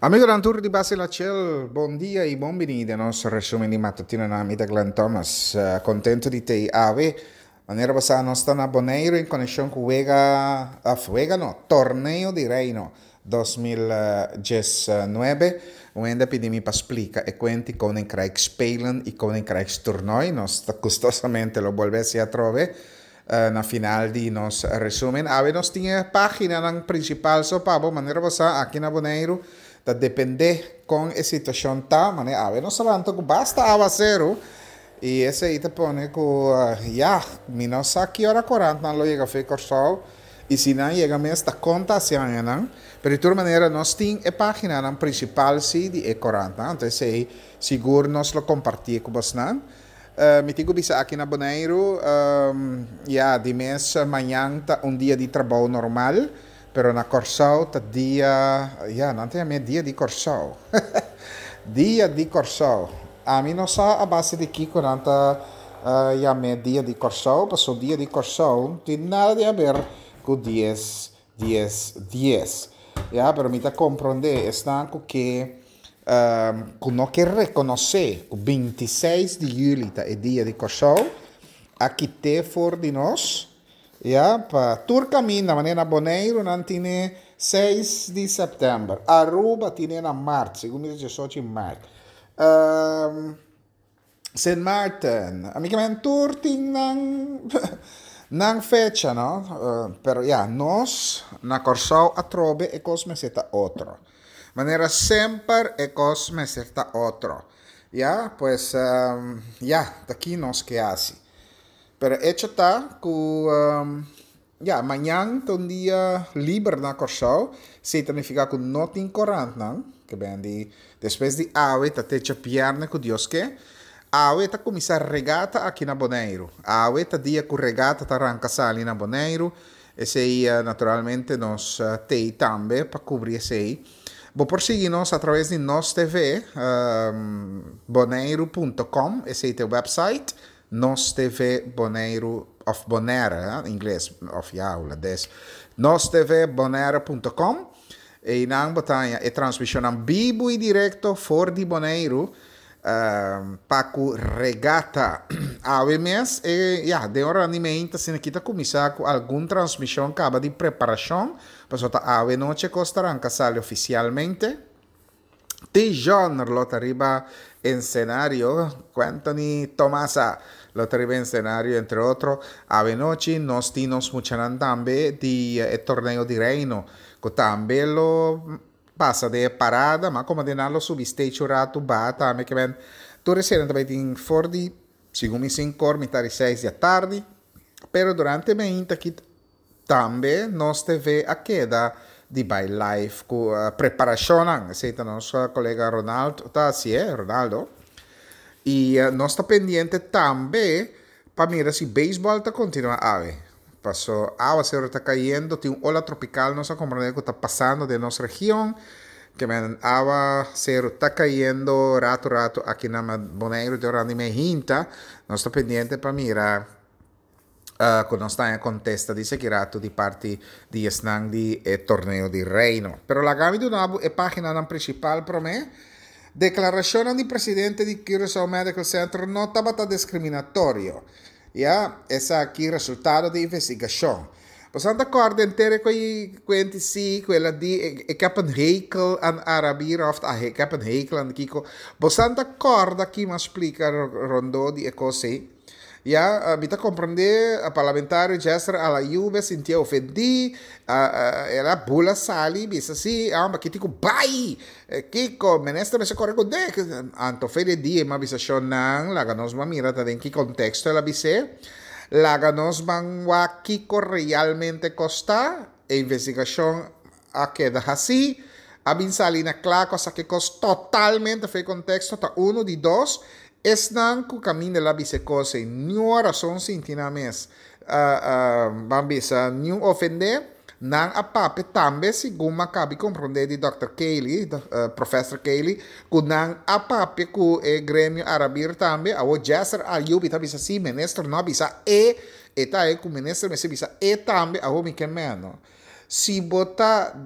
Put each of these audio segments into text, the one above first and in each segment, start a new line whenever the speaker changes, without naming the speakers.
Amigonan tur di Base La Chel, bon dia y bon bini den nos resumen di matutinonan. Mi ta Glenn Thomas. Contento di tei awe. Manera bo sa nos ta na Boneiru en conexion cu wega, of wega no, Torneo di Reino 2019. Un hende a pidi mi pa splica e cuenti Koninkrijk Spelen y Koninkrijkstoernooi. Nos ta gustosamente lo bolbe haci atrobe. Na final di nos resumen awe nos tin e paginanan principal so pa bo manera bo sa aki na Boneiru ta depende con e situacion ta manera awe nos a lanta cu basta awaceru y esey ta pone cu ya mi no sa ki ora corantnan lo yega fe Corsou y si nan yega mes ta con ta haci añanan pero di tur manera nos tin e paginanan principal si di e corantnan anto esey sigur nos lo comparti cu bosnan. Mi tin ku bisa aki na Boneiru, ya, di mes mañan ta un dia di trabou normal, pero na Kòrsou ta dia, ya, nan ta yam'é dia di Kòrsou. Dia di Kòrsou. Ami no sa a base di kiko nan ta yam'é dia di Kòrsou, pasobra dia di Kòrsou no tin nada di haber ku dies, dies, dies. Ya, pero mi ta komprondé esnan ku ke. Ku no ke rekonosé ku 26 di yüli ta e dia di Kòrsou, a kit'é for di nos, ya, pa tur kaminda, manera na Boneiru nan tine 6 di sèptèmber, Aruba tine na mart, segun mi ta 18 di mart. Sint Maarten, ami ke men tur tin nan nan fecha no, pero ya nos na Kòrsou atrobe e kos mester ta otro. Manera semper e kos mester ta otro. Ya, pues ya, ta ki nos ke hasi. Pero echo ta ku Ya, mañan ta un dia liber na Kòrsou, esei ta nifiká ku no tin korantnan, ke ben di despues di awe ta te djabièrnè ku Dios ke. Awe ta kuminsá regata aki na Boneiru. Awe ta dia ku regata ta ranka sali na Boneiru, esei naturalmente nos t'ei tambe pa kubri esei. Bo por sigui nos atraves di Nos TV, boneiru punto com, esei ta e wèpsait. Nos TV Boneiru of Bonaire, ingles of ya hulandes. Nos TV Bonaire punto com. Einan bo ta haña e transmisionnan bibu i direkto for di Boneiru pa ku regata. Awe mes e ya den ora di meinta asina ki ta kuminsá ku algun transmision kaba di preparashon pasobra ta awe nochi e kos ta ranka sali ofisialmente. Tijon lo ta riba ensenario, Quenthony Tomasa lo ta riba ensenario entre otro. Awenochi nos tin nos muchanan tambe di e torneo di Reino cu tambe lo pasa den e parada, ma como di nan lo subi stage un rato baha tambe ke men tur eseinan ta bay tin for di segun mi sinkor mitad di seis di atardi, pero durante meinta aki Tambe nos TV a keda di bai live ku preparashonnan. Esei ta nos kolega Ronald ta hasié, Ronaldo. I nos ta pendiente tambe pa mira si beisbòl ta kontinuá awe. Paso awasero ta kayendo, tin un ola tropikal nos a komprendé ku ta pasando den nos region. Ke men awaseru ta kayendo ratu ratu aki na Boneiru den ora di mehinta. Nos ta pendiente pa mira. Cu nos ta haña contesta di esaki rato di parti di esnan di e Torneo di Reino. Pero laga mi duna bo e paginanan principal prome. Declaracionnan di presidente di Curaçao Medical Center no tabata discriminatorio. Ya, esaki resultado di investigacion. Boso ta corda henter e cuenti si cu el a di ik heb een hekel aan Arabieren of ik heb een hekel aan kico. Boso ta corda ki mi a splica rondó di e cos ey? Ya, mi ta comprende, parlamentario Jester Alayube sintié ofendí, el a bula sali bisa si, amba ki tin ku bai, kiko, minister mester kore ku dek. Anto fe di dia mi a bisa shonnan, laga nos ban mira ta den ki konteksto el a bis'é, laga nos ban wak kiko realmente kosta, e investigashon a keda hasí, a bin sali na kla ku a saka e kos totalmente for e konteksto, ta unu di dos, esnan ku kaminda el a bisa e kos ei niun rason sinti nan mes ban bisa niun ofendé, nan a papia tambe segun mi a kabi komprondé di dòkter Cayley, professor Cayley, ku nan a papia ku e gremio arabir tambe, awor Jesser Ayubi ta bisa si minister no a bisa e, e ta e ku minister mester bisa e tambe, awor mi ke meno. Si bo ta.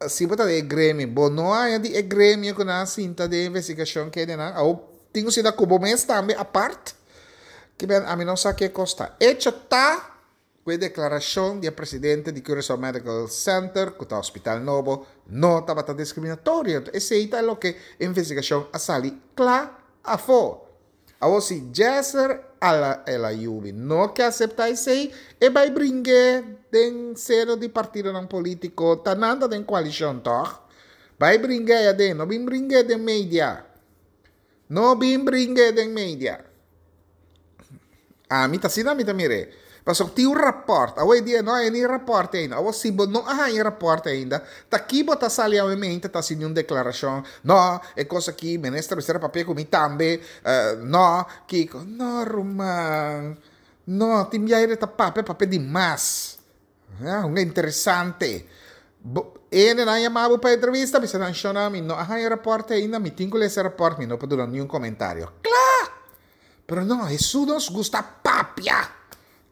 Si bo ta den e gremio, bo no haña di e gremio ku nan a sinta den investigashon kende nan. Awor tin ku sinta ku bo mes tambe apart. Ke ben ami no sa ke kos ta. Echo ta ku e deklarashon di e presidente di Curaçao Medical Center, ku ta hospital nobo, no tabata diskriminatorio. Enton esei ta loke e investigashon a sali kla afó. Awor si Jesser El Ayoubi no ke aseptá esei, e bai bring'é den seno di partidonan polítiko, ta nan ta den koalishon tòg? Bai bring'é ei aden, no bin bring'é den media. No bin bring'é den media. Ami ta asina mi ta mir'é. Pasobra tin un rapòrt, awor e dia no hay ni rapòrt ainda. Awor si bo no a haña rapòrt ainda, ta ki bo ta sali awe mente ta hasi un deklarashon, no, e kos aki minister mester a papia ku mi tambe, no, kiko. No ruman, no, tin biaha ta papia, papia di mas. Ya, un interesante. Bo, ene nan yama bo pa entrevista, bisa nan shona mi no a haña rapòrt ainda, mi tin ku lesa e rapòrt, mi no por duna niun komentario. Kla! Pero no, Hesus nos gusta papia.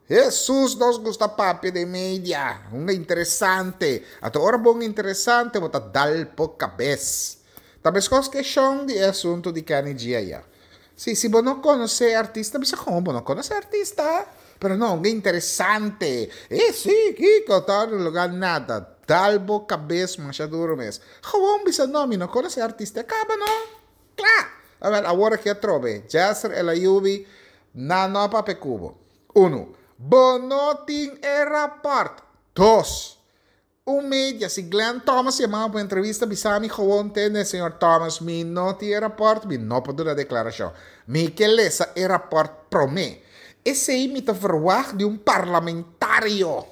Hesus nos gusta papia den media. Un interesante. Ato ora bon interesante bo ta dal po kabes. Ta meskos ke shon di e asunto di Kenny G aya. Si, si bo no konosé e artista, bisa kon bo no konosé e artista. Pero no, un interesante. E si, kiko, ta ora lugar nada. Dal bo kabes masha duro mes. Gewoon bisa no, mi no konosé e artista. E kaba no. Kla! Awel, awor aki atrobe, Jesser El Ayoubi, nan no a papia ku bo. Unu, bo no tin e rapòrt. Dos, un media, si Glenn Thomas yama bo pa entrevista, bisa mi gewoon tende, señor Thomas, mi no tin e rapòrt, mi no por duna deklarashon. Mi ke lesa e rapòrt promé. Esei mi ta verwagt di un parlamentario.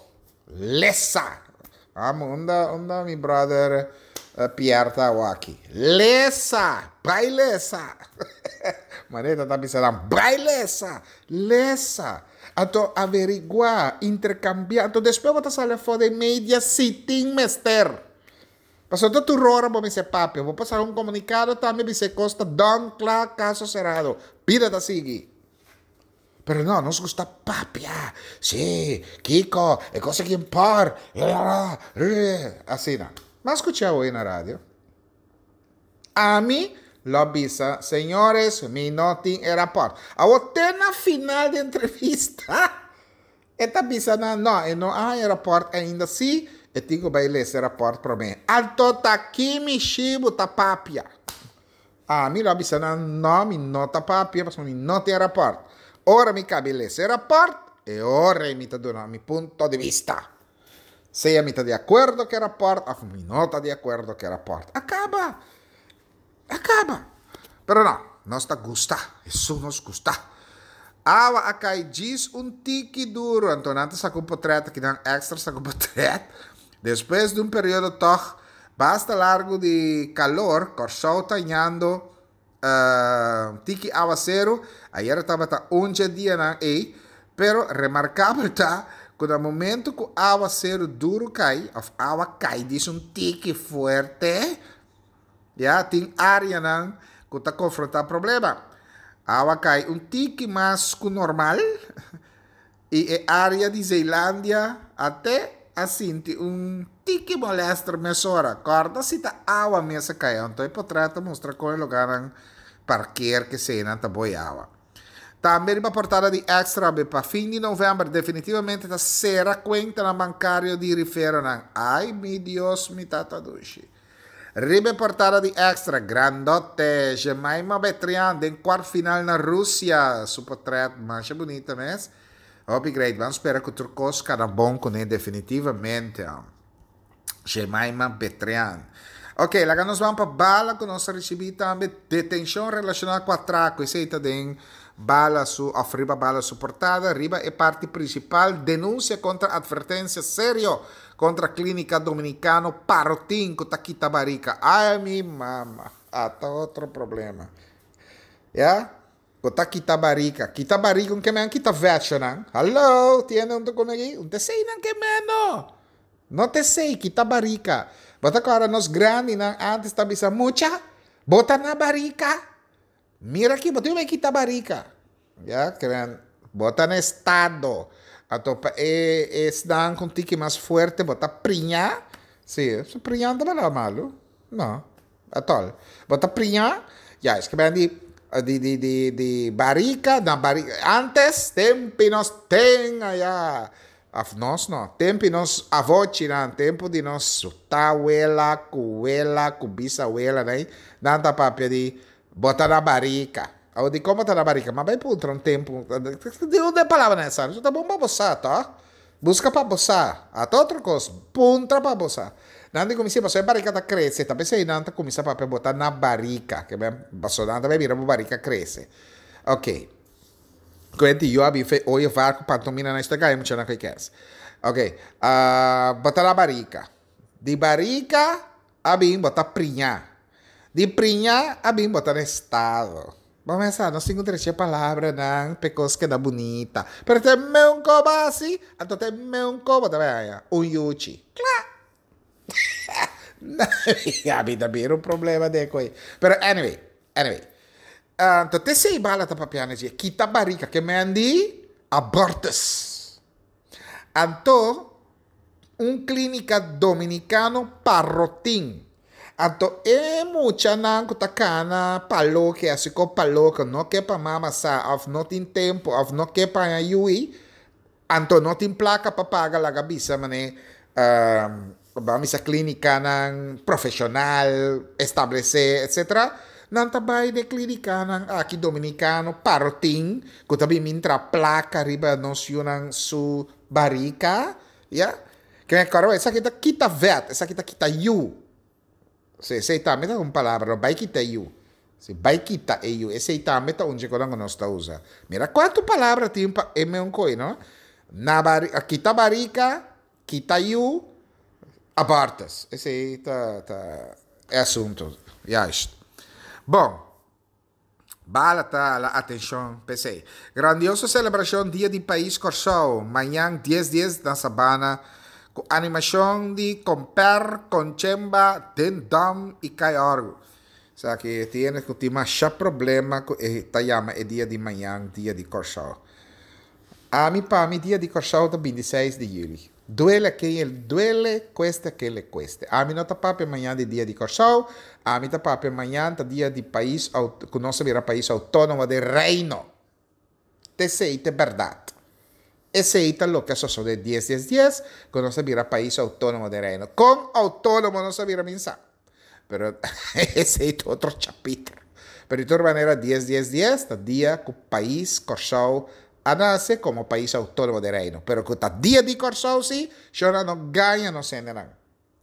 Lesa! Amo, unda, unda mi brother Pierre ta awo aki? Lesa! Bai lesa! Manera ta bisa nan, bai lesa! Lesa! Anto averigua, intercambia, anto despues bo ta sali afo den media si tin mester. Pasobra ta tur ora bo mester papia, bo por saka un comunicado tambe bisa e cos ta done, kla, caso cerrado. Bida ta sigui. Pero no, nos gusta papia. Sí, Kiko, e cosa aki por. Asina. M'a scucha hoy na radio. Ami lo bisa, señores, mi no tin e rapport. Awor te na final di entrevista, e ta bisa nan, no, e no a haña rapport ainda. Sí, e tin cu bay lesa e rapport prome. Anto ta kimi shibu ta papia. Ami lo a bisa nan, No, mi no ta papia pasobra mi no tin e rapòrt. Ora mi kabi lesa e rapòrt, e ora ei mi ta duna mi punto di bista. Sea mi ta di akuerdo ku e rapòrt òf mi no ta di akuerdo ku e rapòrt. A kaba! A kaba! Pero no, nos ta gusta. Esun nos gusta. Awa a kai djis un tiki duru, anto nan ta saka un potrèt aki nan èkstra saka un potrèt. Despues di un periodo tòg basta largu di kalor, Kòrsou ta hañando tiki awaseru. Ayera tabata un dje dianan ei, pero remarkabel ta ku na momentu ku awaseru duru kai òf awa kai dis un tiki fuerte, ya tin áreanan ku ta konfrontá problema. Awa kai un tiki mas ku normal. I e área di Zeelandia a te a sinti un tiki molèster mesora. Kòrda si ta awa mes a kai, anto e potrèt ta mustra kon e lugánan parker keseinan ta boi awa. Tambe riba portada di Extra be pa fin di novèmber definitivamente ta sera kuentanan bankario di riferonan. Ai mi Dios mi tata dushi. Riba e portada di Extra, grandote, Jemyma Betrian den kwart final na Rusia. Su potret masha bunita mes. Hopi great. Ban spera ku tur kos kana bon kuné definitivamente. Jemyma Betrian. Ok, laga nos ban pa bala ku nos a risibí tambe detenshon relashoná ku atrako. Esei ta den bala su òf riba bala su portada. Riba e parti prinsipal, denunsia kontra atvertensia serio Kontra Klínika Dominikano Parotin ku ta kita barika. Ai mi mama, ata otro problema. Ya, ku ta kita barika. Kita barika un ke men kita vechonan. Hallo, tiene un ta kome aki? Un ta esei nan ke men no. No ta esei, kita barika. Bo ta kòrda nos grandinan antes ta bisa mucha, bo ta na barika. Mira aki, bo tin ku kita barika. Ya, keren, bo ta na estado. Anto pa e esnan ku un tiki mas fuerte bo ta priña. Sí, su priñá no ta palabra malu. No, atòl. Bo ta priñá, ya, es ke ben di di di di di barika na barika. Antes tempi nos ten aya, òf nos no, tempi nos avochinan, tempu di nos tawela ku wela ku bisawelanan, nan ta papia di bo ta na barika. Awor dikon bo ta na barika? M'a bai puntra un tempu, di unda e palabranan a sali? Su ta bon pa bo sa, tòg? Buska pa bo sa. Ata otro kos, puntra pa bo sa. Nan di kuminsá, pasobra e barika ta krese, ta p'esei nan ta kuminsá papia bo ta na barika. Ke men, pasobra nan ta bai mira bo barika krese. Ok. Kuenti yo a bin fe oye var ku pantomina nan esta gaya muchanan ku e kers. Ok, bo ta na barika. Di barika a bin bo ta priñá. Di priñá a bin bo ta na estado. Bo mester sa, nos tin ku drecha e palabranan pa e kos keda bunita. Pero te meun koba asi, anto te meun koba ta bai haña un yuchi. Kla! Abi ta bira un problema den koe. Pero anyway, anyway. Anto te sei bala ta papia na dje, kita barika ke men di abortus. Anto un clínica dominicano parotin. Anto e muchanan cu ta cana pa loke, haci co pa loke, no ke pa mama sa of no tin tempo of no ke pa haña yui, anto no tin placa pa paga laga bisa mane ban bisa clinicanan profesional establece etcetera, nan ta bay den clinicanan aki dominicano parotin cu ta bin mintra placa riba nos yunan su Barika, ya. Ke kòrda esaki ta kita vèt, esaki ta kita yu. Si, esei tambe ta un palabra, no bai kita yu. Si, bai kita e yu, esei tambe ta un dje konan ku nos ta usa. Mira kuantu palabra tin pa e meun koi, no? Na bari, kita barika, kita yu, abortus. Esei ta, ta e asuntu. Juist. Bon. Bala ta la atencion p'esey. Grandioso celebracion Dia di Pais Corsou mañan dies dies na Sabana cu animacion di Comper, Conchemba, Den Dam y Kai Orgu. Esaki tiene cu tin masha problema cu e ta yama e dia di mañan Dia di Corsou. Ami pa mi Dia di Corsou ta bintiseis di juli. Duele a ken el duele, cueste a ken le cueste. Ami no ta papia mañan di dia di Corsou, ami ta papia mañan ta dia di pais cu nos a bira pais autonomo den Reino. T'esey t'e berdad. Esey ta loke a sosode dies dies dies cu nos a bira pais autonomo den Reino. Con autonomo nos a bira mi sa. Pero esey ta otro chapiter. Pero di tur manera dies dies dies ta dia cu pais Corsou a nace como pais autonomo den Reino. Pero cu ta dia di Corsou si, shona no gaña nos hendenan.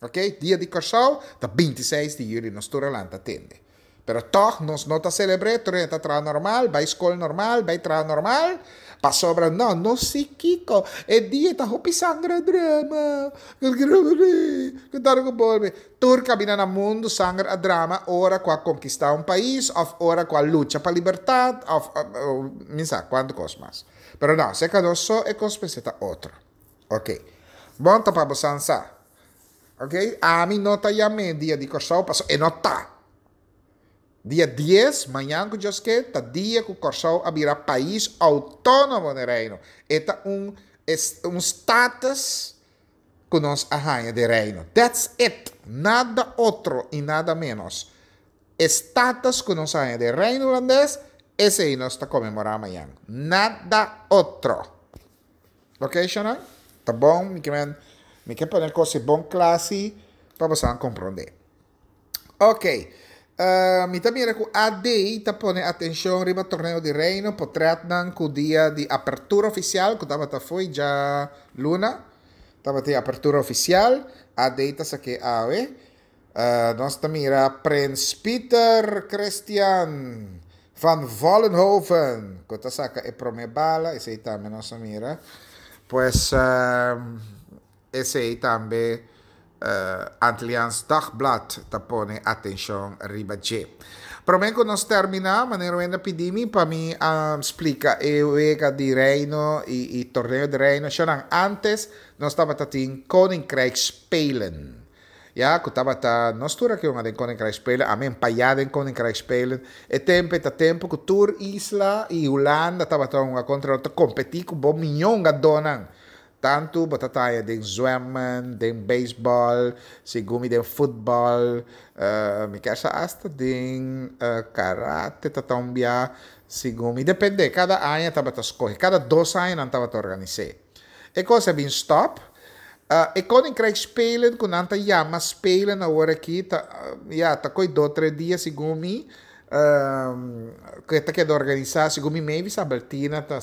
Ok, dia di Corsou ta bintiseis di juli nos tur a lanta tende. Pero tog nos no ta celebr'é, tur hende ta traha normal, bai scol normal, bai traha normal, pasobra no, no si kico, e dia ta hopi sanger a drama, cu tar cu bolbe. Tur cabina na mundo sanger a drama ora cu a conquista un pais of ora cu a lucha pa libertad of mi sa cuanto cos mas. Pero no, seca nos so e cos mester ta otro. Ok. Bon ta pa bo san sa. Ok, ami no ta yam'é dia di Kòrsou pasobra e no ta. Dia dies, mañan ku Dios ke, ta dia ku Kòrsou a bira pais outónomo den Reino. E ta un un status ku nos a haña den Reino. That's it! Nada otro i nada ménos. E status ku nos a haña den Reino Hulandes, esei nos ta konmemorá mañan. Nada otro. Ok shona? Ta bon, mi ke men, mi ke pone kos e bon kla si pa boso komprondé. Ok, mi ta mira ku AD ta pone atenshon riba Torneo di Reino, potretnan ku dia di apertura ofisial ku tabata fo'i djaluna, tabatin apertura ofisial, AD ta sak'é awe. Nos ta mira Prins Pieter Christian van Vollenhoven ku ta saka e promé bala, esei tambe nos a mira. Pues esei tambe Antilliaans Dagblad ta pone atenshon riba dje. Promé ku nos terminá, manera wende a pidi mi pa mi splika e wega di Reino i torneo di Reino. Shonnan, antes nos tabata tin Koninkrijksspelen. Ya ku tabata nos tur aki hunga den Koninkrijksspelen, ami empayá den Koninkrijksspelen. E tempu e ta tempu ku tur isla i Hulanda tabata hunga kontra otro, ta kompetí ku bo miñó hungadónan. Tantu bo ta taya den zwemmen, den beisbòl, segun mi den futbòl, mi kier sa asta den karate ta ta un bia, segun mi, depende, kada aña tabata skohe, kada dos aña nan tabata organis'é. E kos a bin stòp. E Koninkrijksspelen ku nan ta yama spelen awor aki ta, ya, ta koe dos tres dia segun mi, ku e ta keda organisá segun mi Mavis Albertina ta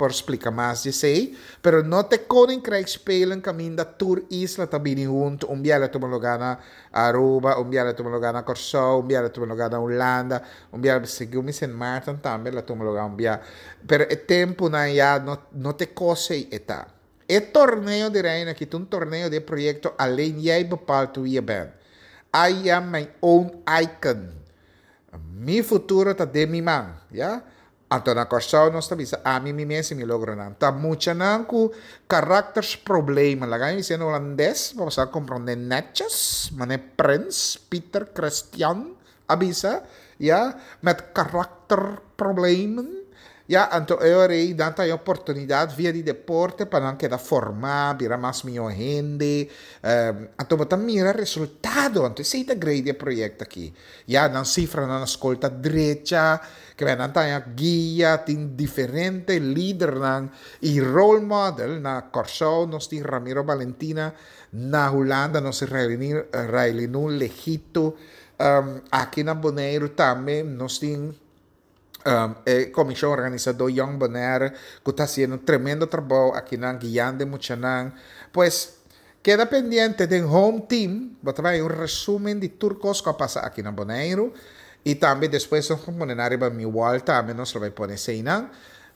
por splika mas di esei, pero no ta e Koninkrijksspelen kaminda tur isla ta bini huntu, un biaha lo tuma lugá na Aruba, un biaha lo tuma lugá na Kòrsou, un biaha lo tuma lugá na Hulanda, un biaha segun mi Sint Maarten tambe lo tuma lugá un biaha, pero e tempunan ya no no ta e kos ei e ta. E torneo di Reino aki ta un torneo di e proyekto Alleen Jij Bepaalt Wie Je Bent. I am my own icon. Mi futuro ta den mi man, ya. Anto na Kòrsou nos ta bisa ami mi mes i mi logronan. Ta muchanan ku karaktersproblemen, laga mi bisa en holandes pa boso a komprondé netjes, manera Prins Pieter Christian a bisa, ya, met karakterproblemen. Ya, anto e ora ei nan ta haña oportunidat via di deporte pa nan keda formá, bira mas mihó hende. Anto bo ta mira resultado, anto esei ta grei di e proyekto aki. Ya, nan sifranan na skol ta drecha, kibè nan ta haña guia, tin diferente lidernan i role model. Na Kòrsou nos tin Ramiro Balentina, na Hulanda nos tin Railinu Legito, aki na Boneiru tambe nos tin. E komishon organisadó Young Bonaire ku ta hasiendo un tremendo trabou akinan guiando e muchanan. Pues keda pendiente den Home Team bo ta bai un resumen di tur kos ku a pasa aki na Boneiru i tambe despues nos por pone nan riba mi wall tambe nos lo bai pone eseinan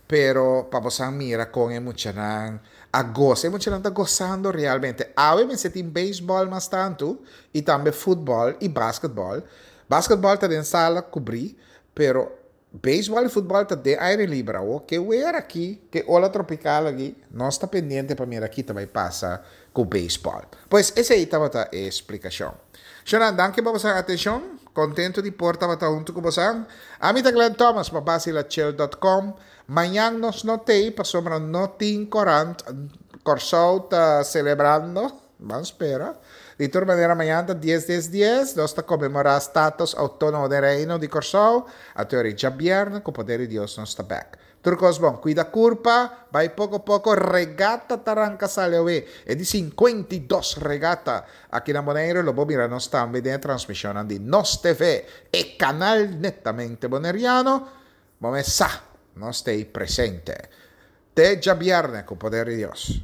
pero pa bosan mira kon e muchanan a gosa. E muchanan ta gosando realmente. Awe mester tin beisbòl mas tantu i tambe futbòl i basketbòl. Basketbòl ta den sala kubrí. Pero beisbòl i futbòl ta den aire liber awor. Ke wer aki, ke ola tropikal aki, nos ta pendiente pa mira ki ta bai pasa ku beisbòl. Pues esei tabata e splikashon. Shonnan, danki pa boso atenshon. Kontentu di por tabata huntu ku boso. Ami ta Glenn Thomas pa Basilachel dòt kòm. Mañan nos no t'ei pasobra no tin korant. Kòrsou ta selebrando. Ban spera. Di tur manera mañan ta dies dies dies, nos ta konmemorá status outónomo den Reino di Kòrsou. Anto e djabièrnè ku poder di Dios nos ta bèk. Tur kos bon. Kuida kurpa, bai poko poko, regata ta ranka sali awe. E di 52 regata aki na Boneiru lo bo mira nos tambe den e transmishonnan di Nos TV, e kanal netamente boneriano. Bo mes sa, nos t'ei presente. Te djabièrnè ku poder di Dios.